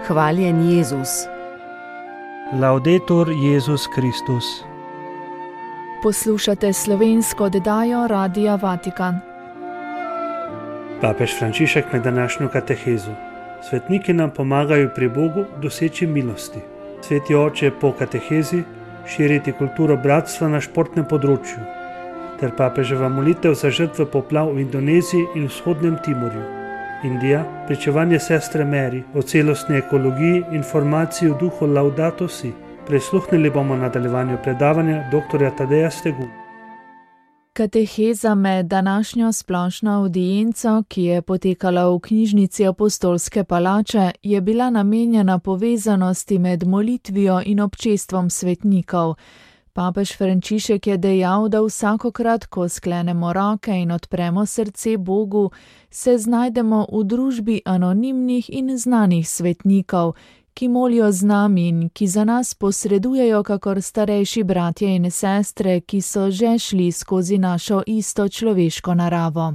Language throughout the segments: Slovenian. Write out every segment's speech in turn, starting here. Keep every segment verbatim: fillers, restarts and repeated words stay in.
Hvaljen Jezus. Laudetur Jezus Kristus. Poslušate slovensko oddajo Radia Vatikan. Papež Frančišek med današnjo katehezo. Svetniki nam pomagajo pri Bogu doseči milosti. Sveti oče po katehezi širiti kulturo bratstva na športnem področju, ter papeževa molitev za žrtve poplav v Indoneziji in vzhodnem Timorju. Indija, pričevanje sestre Mary o celostni ekologiji in formaciji v duhu Laudato Si. Prisluhnili bomo nadaljevanju predavanja doktorja Tadeja Stegu. Kateheza med današnjo splošno avdienco, ki je potekala v knjižnici Apostolske palače, je bila namenjena povezanosti med molitvijo in občestvom svetnikov. Papež Frančišek je dejal, da vsakokrat, ko sklenemo roke in odpremo srce Bogu, se znajdemo v družbi anonimnih in znanih svetnikov, ki molijo z nami in ki za nas posredujejo kakor starejši bratje in sestre, ki so že šli skozi našo isto človeško naravo.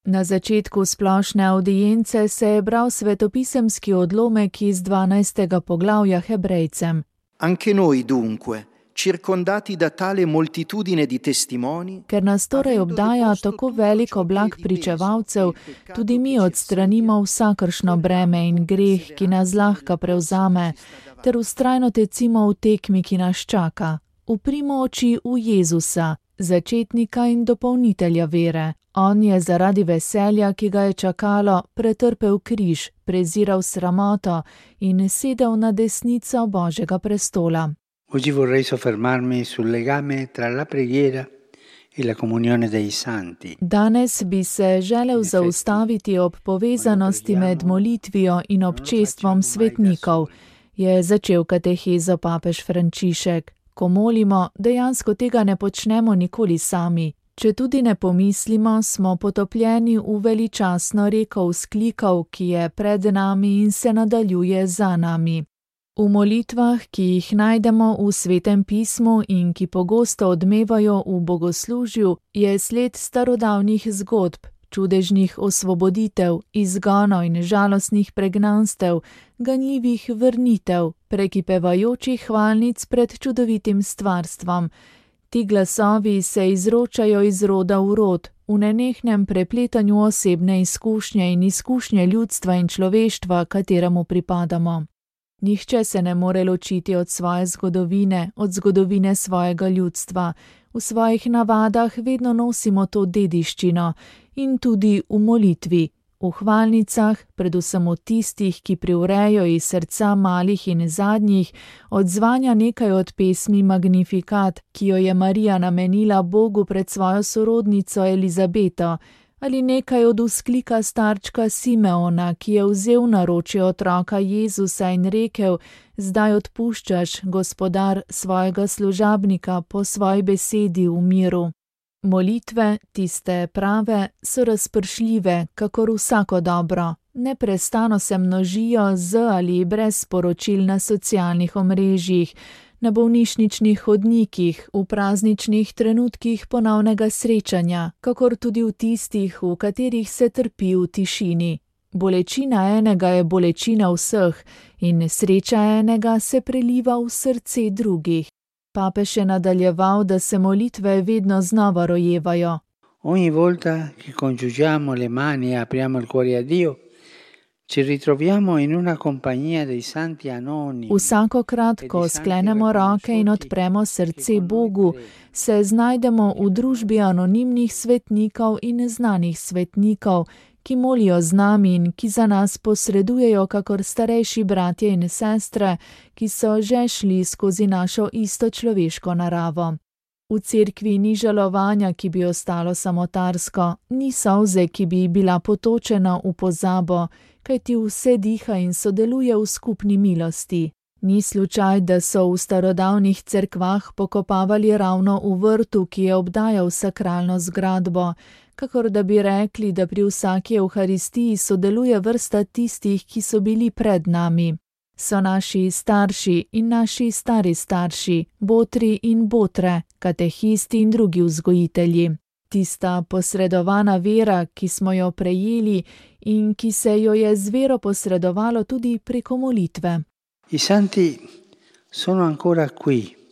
Na začetku splošne avdience se je bral svetopisemski odlomek iz dvanajstega poglavja Hebrejcem. Anche noi dunque, circondati da tale moltitudine di testimoni, ker nas torej obdaja tako velik oblak pričevalcev, tudi mi odstranimo vsakršno breme in greh, ki nas zlahka prevzame, ter vztrajno tecimo v tekmi, ki nas čaka. Uprimo oči v Jezusa, začetnika in dopolnitelja vere. On je zaradi veselja, ki ga je čakalo, pretrpel križ, preziral sramoto in sedel na desnico Božjega prestola. Oggi vorrei soffermarmi sul legame tra la preghiera e la comunione dei santi. Danes bi se želel zaustaviti ob povezanosti med molitvijo in občestvom svetnikov, je začel katehezo papež Frančišek. Ko molimo, dejansko tega ne počnemo nikoli sami. Če tudi ne pomislimo, smo potopljeni v veličastno reko vzklikov, ki je pred nami in se nadaljuje za nami. V molitvah, ki jih najdemo v Svetem pismu in ki pogosto odmevajo v bogoslužju, je sled starodavnih zgodb, čudežnih osvoboditev, izgonov in žalostnih pregnanstev, ganljivih vrnitev, prekipevajočih hvalnic pred čudovitim stvarstvom. Ti glasovi se izročajo iz roda v rod, v nenehnem prepletanju osebne izkušnje in izkušnje ljudstva in človeštva, kateremu pripadamo. Nihče se ne more ločiti od svoje zgodovine, od zgodovine svojega ljudstva. V svojih navadah vedno nosimo to dediščino in tudi v molitvi, v hvalnicah, predvsem v tistih, ki privrejo iz srca malih in zadnjih, odzvanja nekaj od pesmi Magnificat, ki jo je Marija namenila Bogu pred svojo sorodnico Elizabeto, ali nekaj od vzklika starčka Simeona, ki je vzel naročje otroka Jezusa in rekel: zdaj odpuščaš, Gospodar, svojega služabnika po svoji besedi v miru. Molitve, tiste prave, so razpršljive, kakor vsako dobro. Neprestano se množijo z ali brez sporočil na socialnih omrežjih, na bolnišničnih hodnikih, v prazničnih trenutkih ponovnega srečanja, kakor tudi v tistih, v katerih se trpi v tišini. Bolečina enega je bolečina vseh in sreča enega se preliva v srce drugih. Papež je nadaljeval, da se molitve vedno znova rojevajo. Ogni volta che congiungiamo le mani e apriamo il cuore a Dio, ci ritroviamo in una compagnia dei santi anonimi. Vsakokrat, ko sklenemo roke in odpremo srce Bogu, se znajdemo v družbi anonimnih svetnikov in znanih svetnikov, ki molijo z nami in ki za nas posredujejo kakor starejši bratje in sestre, ki so že šli skozi našo isto človeško naravo. V cerkvi ni žalovanja, ki bi ostalo samotarsko, ni solze, ki bi bila potočena v pozabo, kajti vse diha in sodeluje v skupni milosti. Ni slučaj, da so v starodavnih cerkvah pokopavali ravno v vrtu, ki je obdajal sakralno zgradbo, kakor da bi rekli, da pri vsaki evharistiji sodeluje vrsta tistih, ki so bili pred nami. So naši starši in naši stari starši, botri in botre, katehisti in drugi vzgojitelji. tista posredovana vera, ki smo jo prejeli in ki se jo je z vero posredovalo tudi preko molitve. I santi sono ancora qui.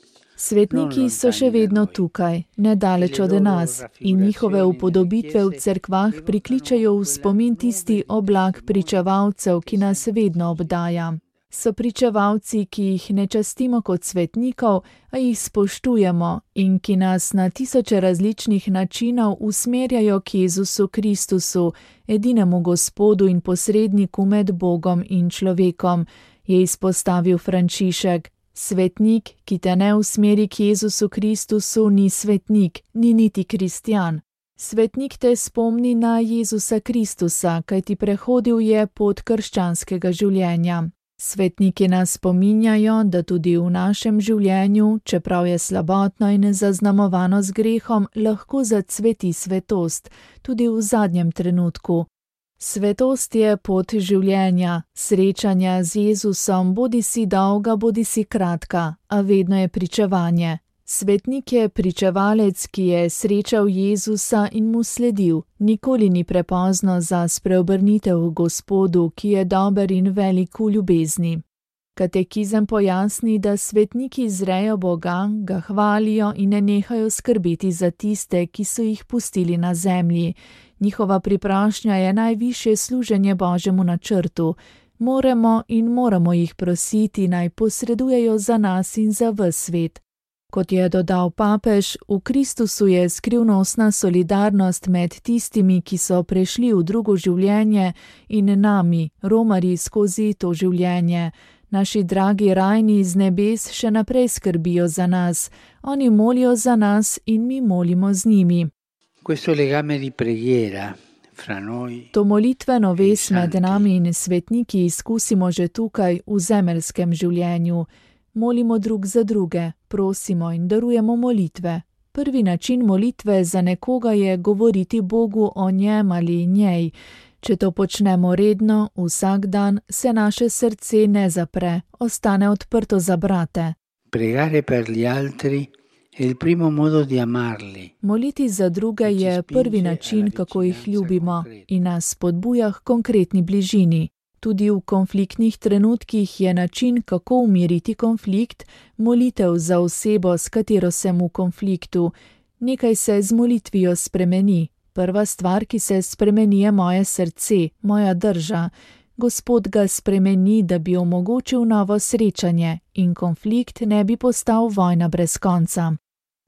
Svetniki so še vedno tukaj, nedaleč od nas, in njihove upodobitve v cerkvah prikličajo v spomin tisti oblak pričevalcev, ki nas vedno obdaja. So pričevalci, ki jih ne častimo kot svetnikov, a jih spoštujemo in ki nas na tisoče različnih načinov usmerjajo k Jezusu Kristusu, edinemu Gospodu in posredniku med Bogom in človekom, je izpostavil Frančišek. Svetnik, ki te ne usmeri k Jezusu Kristusu, ni svetnik, ni niti kristjan. Svetnik te spomni na Jezusa Kristusa, kajti prehodil je pot krščanskega življenja. Svetniki nas spominjajo, da tudi v našem življenju, čeprav je slabotno in zaznamovano z grehom, lahko zacveti svetost, tudi v zadnjem trenutku. Svetost je pot življenja, srečanja z Jezusom, bodi si dolga, bodi si kratka, a vedno je pričevanje. Svetnik je pričevalec, ki je srečal Jezusa in mu sledil. Nikoli ni prepozno za spreobrnitev v Gospodu, ki je dober in velik v ljubezni. Katekizem pojasni, da svetniki zrejo Boga, ga hvalijo in ne nehajo skrbeti za tiste, ki so jih pustili na zemlji. Njihova priprošnja je najvišje služenje Božjemu načrtu. Moramo in moramo jih prositi, naj posredujejo za nas in za ves svet. Kot je dodal papež, v Kristusu je skrivnostna solidarnost med tistimi, ki so prešli v drugo življenje, in nami, romarji skozi to življenje. Naši dragi rajni iz nebes še naprej skrbijo za nas. Oni molijo za nas in mi molimo z njimi. Questo legame di preghiera fra noi. To molitveno vez med nami in svetniki izkusimo že tukaj v zemeljskem življenju. Molimo drug za druge, prosimo in darujemo molitve. Prvi način molitve za nekoga je govoriti Bogu o njem ali njej. Če to počnemo redno, vsak dan, se naše srce ne zapre, ostane odprto za brate. Pregare per gli altri è il primo modo di amarli. Moliti za druge je prvi način, kako jih ljubimo in nas spodbuja k konkretni bližini. Tudi v konfliktnih trenutkih je način, kako umiriti konflikt, molitev za osebo, s katero sem v konfliktu. Nekaj se z molitvijo spremeni. Prva stvar, ki se spremeni, je moje srce, moja drža. Gospod ga spremeni, da bi omogočil novo srečanje in konflikt ne bi postal vojna brez konca.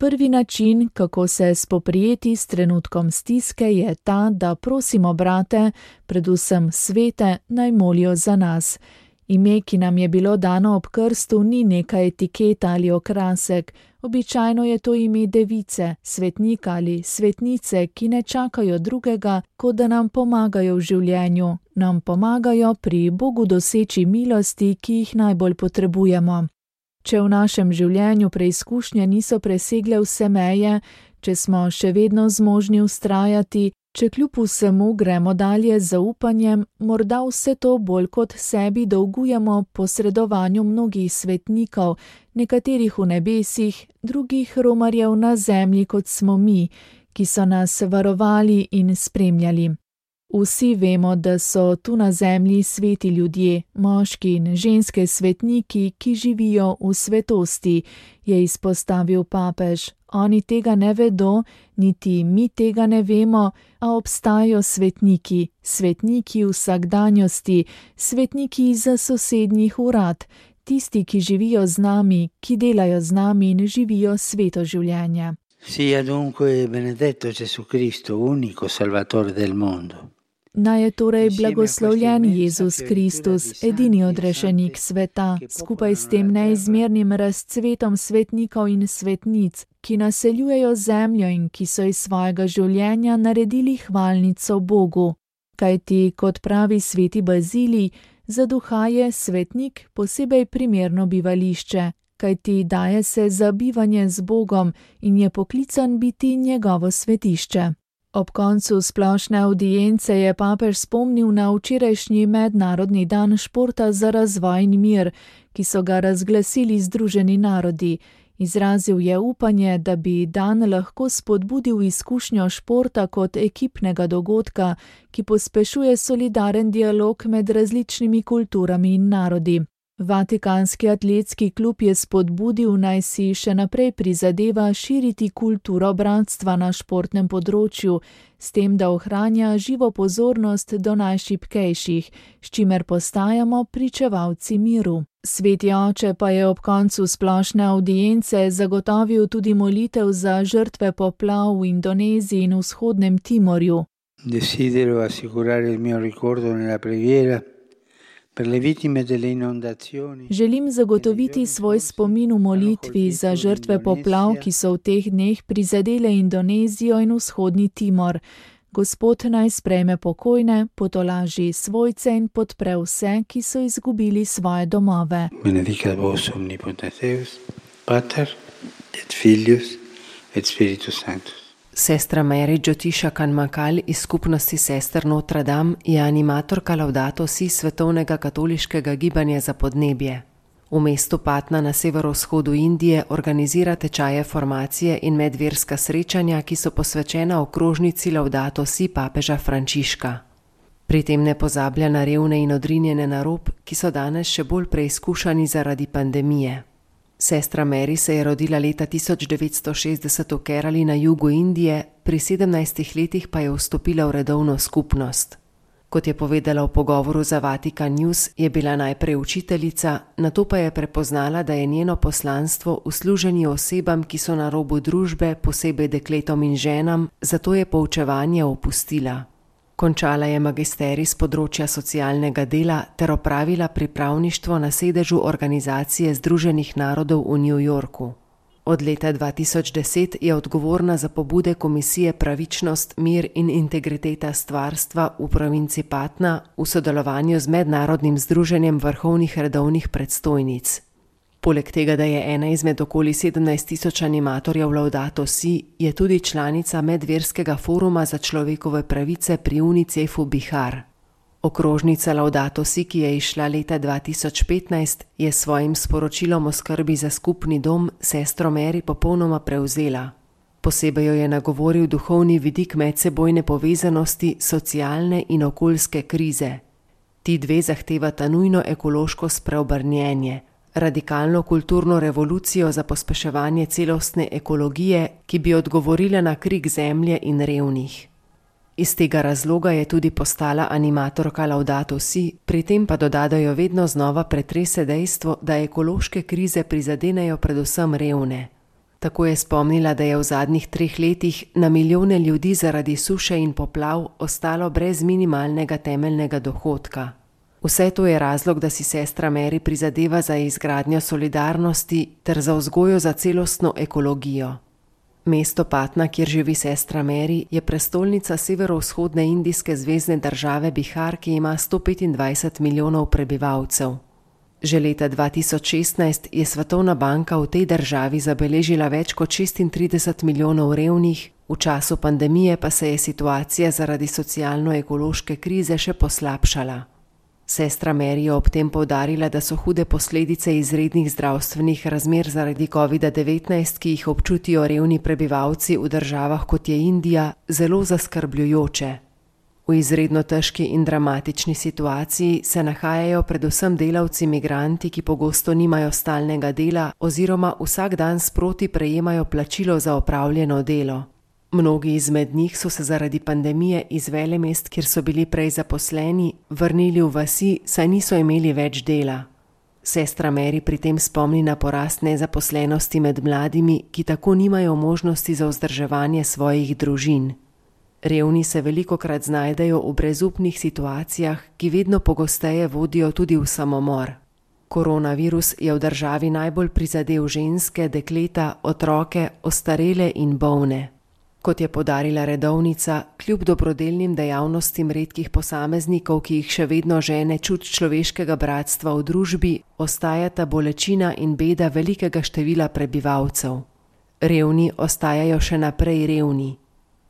Prvi način, kako se spoprijeti s trenutkom stiske, je ta, da prosimo brate, predvsem svete, naj molijo za nas. Ime, ki nam je bilo dano ob krstu, ni neka etiketa ali okrasek. Običajno je to ime device, svetnika ali svetnice, ki ne čakajo drugega, kot da nam pomagajo v življenju, nam pomagajo pri Bogu doseči milosti, ki jih najbolj potrebujemo. Če v našem življenju preizkušnje niso presegle vse meje, če smo še vedno zmožni vztrajati, če kljub vsemu gremo dalje z zaupanjem, morda vse to bolj kot sebi dolgujemo posredovanju mnogih svetnikov, nekaterih v nebesih, drugih romarjev na zemlji, kot smo mi, ki so nas varovali in spremljali. Vsi vemo, da so tu na zemlji sveti ljudje, moški in ženske svetniki, ki živijo v svetosti, je izpostavil papež. Oni tega ne vedo, niti mi tega ne vemo, a obstajajo svetniki, svetniki vsakdanjosti, svetniki za sosednjih urad, tisti, ki živijo z nami, ki delajo z nami in živijo sveto življenje. Sia dunque benedetto Gesù Cristo, unico Salvatore del mondo. Naj je torej blagoslovljen Jezus Kristus, edini odrešenik sveta, skupaj s tem neizmernim razcvetom svetnikov in svetnic, ki naseljujejo zemljo in ki so iz svojega življenja naredili hvalnico Bogu. Kajti, kot pravi sveti Bazilij, za duha je svetnik posebej primerno bivališče, kajti daje se za bivanje z Bogom in je poklican biti njegovo svetišče. Ob koncu splošne avdience je papež spomnil na včerajšnji mednarodni dan športa za razvoj in mir, ki so ga razglasili Združeni narodi. Izrazil je upanje, da bi dan lahko spodbudil izkušnjo športa kot ekipnega dogodka, ki pospešuje solidaren dialog med različnimi kulturami in narodi. Vatikanski atletski klub je spodbudil, naj si še naprej prizadeva širiti kulturo bratstva na športnem področju, s tem, da ohranja živo pozornost do najšibkejših, s čimer postajamo pričevalci miru. Sveti oče pa je ob koncu splošne avdience zagotovil tudi molitev za žrtve poplav v Indoneziji in vzhodnem Timorju. Desidero assicurare il mio ricordo nella preghiera per le vittime delle inondazioni. Želim zagotoviti svoj spomin v molitvi za žrtve poplav, ki so v teh dneh prizadele Indonezijo in vzhodni Timor. Gospod naj sprejme pokojne, potolaži svojce in podpre vse, ki so izgubili svoje domove. Benedicat vos omnipotens Deus, Pater et Filius et Spiritus Sanctus. Sestra Mary Jyotisha Kanmakal iz skupnosti sester Notre Dame je animatorka Laudato Si svetovnega katoliškega gibanja za podnebje. V mestu Patna na severovzhodu Indije organizira tečaje formacije in medverska srečanja, ki so posvečena okrožnici Laudato Si papeža Frančiška. Pri tem ne pozablja na revne in odrinjene na rob, ki so danes še bolj preizkušani zaradi pandemije. Sestra Mary se je rodila leta tisoč devetsto šestdeset v Kerali na jugu Indije, pri sedemnajstih letih pa je vstopila v redovno skupnost. Kot je povedala v pogovoru za Vatikan News, je bila najprej učiteljica, nato pa je prepoznala, da je njeno poslanstvo v služenju osebam, ki so na robu družbe, posebej dekletom in ženam, zato je poučevanje opustila. Končala je magisterij s področja socialnega dela ter opravila pripravništvo na sedežu Organizacije združenih narodov v New Yorku. Od leta dva tisoč deset je odgovorna za pobude Komisije Pravičnost, mir in integriteta stvarstva v provinci Patna v sodelovanju z Mednarodnim združenjem vrhovnih redovnih predstojnic. Poleg tega, da je ena izmed okoli sedemnajst tisoč animatorjev Laudato Si, je tudi članica Medverskega foruma za človekove pravice pri Unicefu Bihar. Okrožnica Laudato Si, ki je izšla leta dva tisoč petnajst, je s svojim sporočilom o skrbi za skupni dom sestro Mary popolnoma prevzela. Posebej jo je nagovoril duhovni vidik medsebojne povezanosti, socialne in okoljske krize. Ti dve zahtevata nujno ekološko spreobrnjenje, radikalno kulturno revolucijo za pospeševanje celostne ekologije, ki bi odgovorila na krik zemlje in revnih. Iz tega razloga je tudi postala animatorka Laudato Si, pri tem pa doda, da jo vedno znova pretrese dejstvo, da ekološke krize prizadenejo predvsem revne. Tako je spomnila, da je v zadnjih treh letih na milijone ljudi zaradi suše in poplav ostalo brez minimalnega temeljnega dohodka. Vse to je razlog, da si sestra Mary prizadeva za izgradnjo solidarnosti ter za vzgojo za celostno ekologijo. Mesto Patna, kjer živi sestra Mary, je prestolnica severovzhodne indijske zvezne države Bihar, ki ima sto petindvajset milijonov prebivalcev. Že leta dva tisoč šestnajst je Svetovna banka v tej državi zabeležila več kot šestintrideset milijonov revnih, v času pandemije pa se je situacija zaradi socialno-ekološke krize še poslabšala. Sestra Mary je ob tem poudarila, da so hude posledice izrednih zdravstvenih razmer zaradi kovida devetnajst, ki jih občutijo revni prebivalci v državah kot je Indija, zelo zaskrbljujoče. V izredno težki in dramatični situaciji se nahajajo predvsem delavci migranti, ki pogosto nimajo stalnega dela oziroma vsak dan sproti prejemajo plačilo za opravljeno delo. Mnogi izmed njih so se zaradi pandemije iz velemest, kjer so bili prej zaposleni, vrnili v vasi, saj niso imeli več dela. Sestra Mary pri tem spomni na porast nezaposlenosti med mladimi, ki tako nimajo možnosti za vzdrževanje svojih družin. Revni se velikokrat znajdejo v brezupnih situacijah, ki vedno pogosteje vodijo tudi v samomor. Koronavirus je v državi najbolj prizadel ženske, dekleta, otroke, ostarele in bolne. Kot je poudarila redovnica, kljub dobrodelnim dejavnostim redkih posameznikov, ki jih še vedno žene čut človeškega bratstva v družbi, ostajata bolečina in beda velikega števila prebivalcev. Revni ostajajo še naprej revni.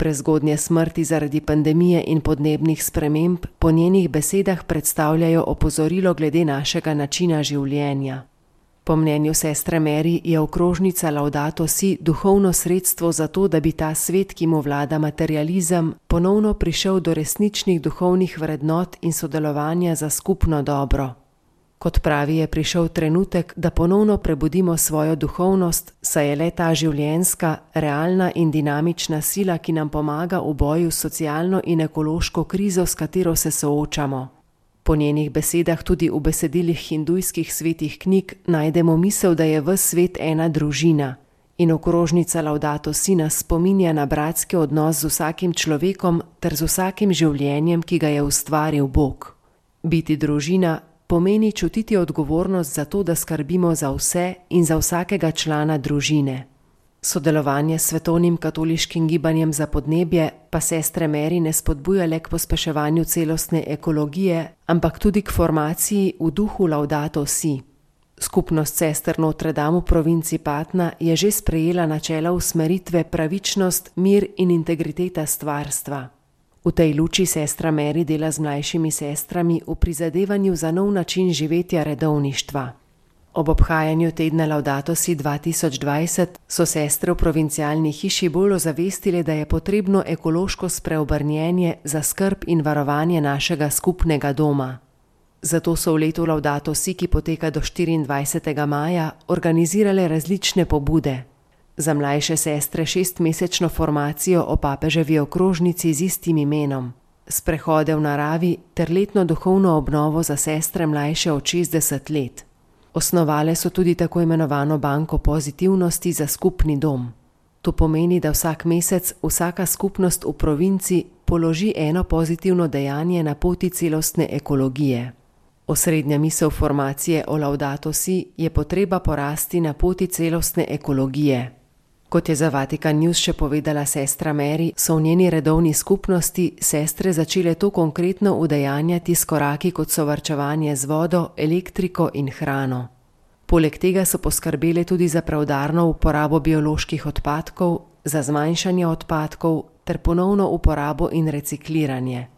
Prezgodnje smrti zaradi pandemije in podnebnih sprememb po njenih besedah predstavljajo opozorilo glede našega načina življenja. Po mnenju sestre Mary je okrožnica Laudato Si duhovno sredstvo za to, da bi ta svet, ki mu vlada materializem, ponovno prišel do resničnih duhovnih vrednot in sodelovanja za skupno dobro. Kot pravi, je prišel trenutek, da ponovno prebudimo svojo duhovnost, saj je le ta življenjska, realna in dinamična sila, ki nam pomaga v boju s socialno in ekološko krizo, s katero se soočamo. Po njenih besedah tudi v besedilih hindujskih svetih knjig najdemo misel, da je ves svet ena družina. In okrožnica Laudato Si nas spominja na bratski odnos z vsakim človekom ter z vsakim življenjem, ki ga je ustvaril Bog. Biti družina pomeni čutiti odgovornost za to, da skrbimo za vse in za vsakega člana družine. Sodelovanje s svetovnim katoliškim gibanjem za podnebje pa sestre Mary ne spodbuja le k pospeševanju celostne ekologije, ampak tudi k formaciji v duhu Laudato Si. Skupnost sester Notre Dame v provinci Patna je že sprejela načela usmeritve pravičnost, mir in integriteta stvarstva. V tej luči sestra Mary dela z mlajšimi sestrami v prizadevanju za nov način živetja redovništva. Ob obhajanju tedna Laudato Si dva tisoč dvajset so sestre v provincialni hiši bolj ozavestile, da je potrebno ekološko spreobrnjenje za skrb in varovanje našega skupnega doma. Zato so v letu Laudato Si, ki poteka do štiriindvajsetega maja, organizirale različne pobude. Za mlajše sestre šestmesečno formacijo o papeževi okrožnici z istim imenom, sprehode v naravi ter letno duhovno obnovo za sestre mlajše od šestdeset let. Osnovale so tudi tako imenovano banko pozitivnosti za skupni dom. To pomeni, da vsak mesec vsaka skupnost v provinci položi eno pozitivno dejanje na poti celostne ekologije. Osrednja misel formacije o Laudato Si je potreba porasti na poti celostne ekologije. Kot je za Vatikan News še povedala sestra Mary, so v njeni redovni skupnosti sestre začele to konkretno udejanjati s koraki, kot so varčevanje z vodo, elektriko in hrano. Poleg tega so poskrbele tudi za preudarno uporabo bioloških odpadkov, za zmanjšanje odpadkov ter ponovno uporabo in recikliranje.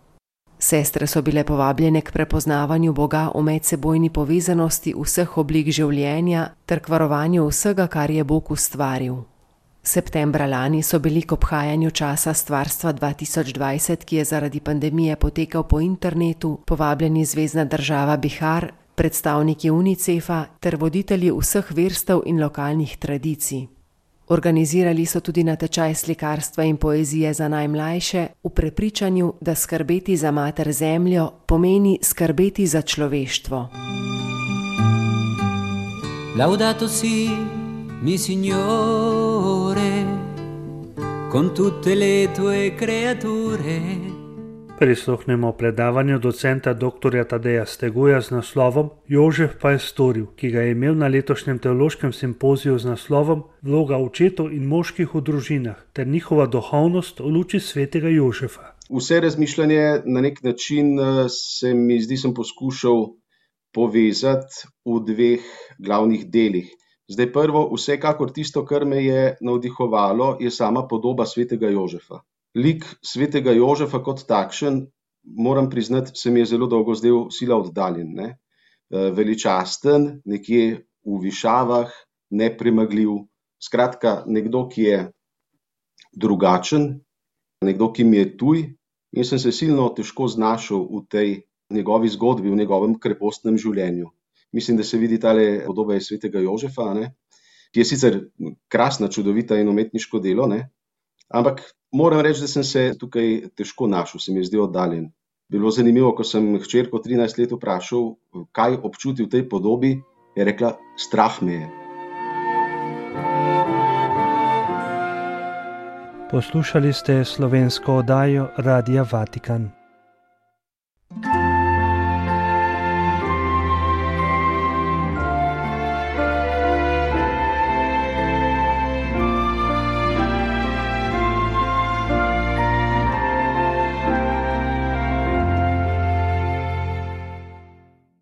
Sestre so bile povabljene k prepoznavanju Boga v medsebojni povezanosti vseh oblik življenja ter k varovanju vsega, kar je Bog ustvaril. Septembra lani so bili k obhajanju časa stvarstva dva tisoč dvajset, ki je zaradi pandemije potekal po internetu, povabljeni zvezna država Bihar, predstavniki Unicefa ter voditelji vseh verstev in lokalnih tradicij. Organizirali so tudi natečaj slikarstva in poezije za najmlajše v prepričanju, da skrbeti za mater zemljo pomeni skrbeti za človeštvo. Laudato si, mi Signore, con tutte le tue creature. Prisluhnemo predavanju docenta doktorja Tadeja Steguja z naslovom Jožef pa je storil, ki ga je imel na letošnjem teološkem simpoziju z naslovom Vloga očetov in moških v družinah ter njihova duhovnost v luči svetega Jožefa. Vse razmišljanje na nek način se mi zdi, sem poskušal povezati v dveh glavnih delih. Zdaj prvo, vsekakor tisto, kar me je navdihovalo, je sama podoba svetega Jožefa. Lik svetega Jožefa kot takšen, moram priznati, se mi je zelo dolgo zdel sila oddaljen. Ne? Veličasten, nekje v višavah, nepremagljiv. Skratka, nekdo, ki je drugačen, nekdo, ki mi je tuj in sem se silno težko znašel v tej njegovi zgodbi, v njegovem krepostnem življenju. Mislim, da se vidi tale podoba svetega Jožefa, ne? Ki je sicer krasna, čudovita in umetniško delo, ne? Ampak moram reči, da sem se tukaj težko našel, se mi je zdel oddaljen. Bilo zanimivo, ko sem hčerko trinajst let vprašal, kaj občuti v tej podobi, je rekla, strah me je. Poslušali ste slovensko oddajo Radia Vatikan.